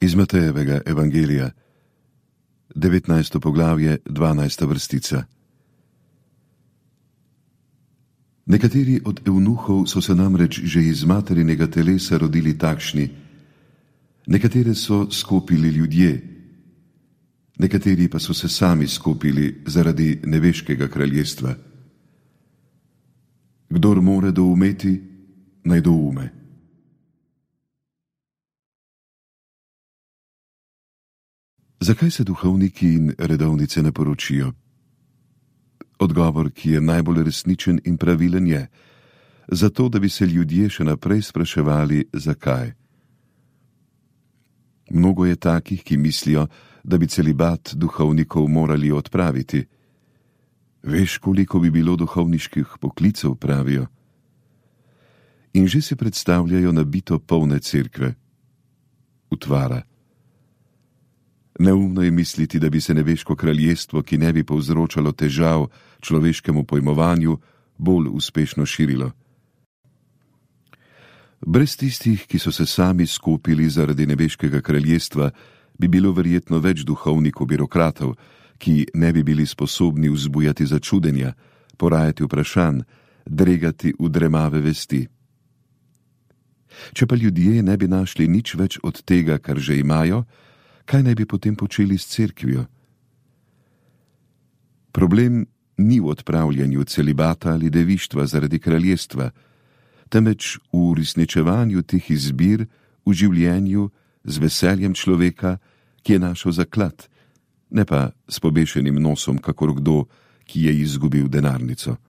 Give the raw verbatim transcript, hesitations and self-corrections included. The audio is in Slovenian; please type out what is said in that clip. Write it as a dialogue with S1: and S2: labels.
S1: Iz Matejevega evangelija, devetnajsto poglavje, dvanajsta vrstica. Nekateri od evnuhov so se namreč že iz materinega telesa rodili takšni, nekatere so skopili ljudje, nekateri pa so se sami skopili zaradi nebeškega kraljestva. Kdor more doumeti, naj doume. Zakaj se duhovniki in redovnice ne poročijo? Odgovor, ki je najbolj resničen in pravilen, je: zato, da bi se ljudje še naprej spraševali, zakaj. Mnogo je takih, ki mislijo, da bi celibat duhovnikov morali odpraviti. Veš, koliko bi bilo duhovniških poklicev, pravijo. In že si predstavljajo nabito polne cerkve. Utvara. Neumno je misliti, da bi se nebeško kraljestvo, ki ne bi povzročalo težav človeškemu pojmovanju, bolj uspešno širilo. Brez tistih, ki so se sami skupili zaradi nebeškega kraljestva, bi bilo verjetno več duhovnikov birokratov, ki ne bi bili sposobni vzbujati začudenja, porajati vprašanj, dregati v dremave vesti. Če pa ljudje ne bi našli nič več od tega, kar že imajo, kaj naj bi potem počeli s cerkvijo? Problem ni v odpravljanju celibata ali devištva zaradi kraljestva, temveč v uresničevanju teh izbir v življenju z veseljem človeka, ki je našel zaklad, ne pa s pobešenim nosom, kakor kdo, ki je izgubil denarnico.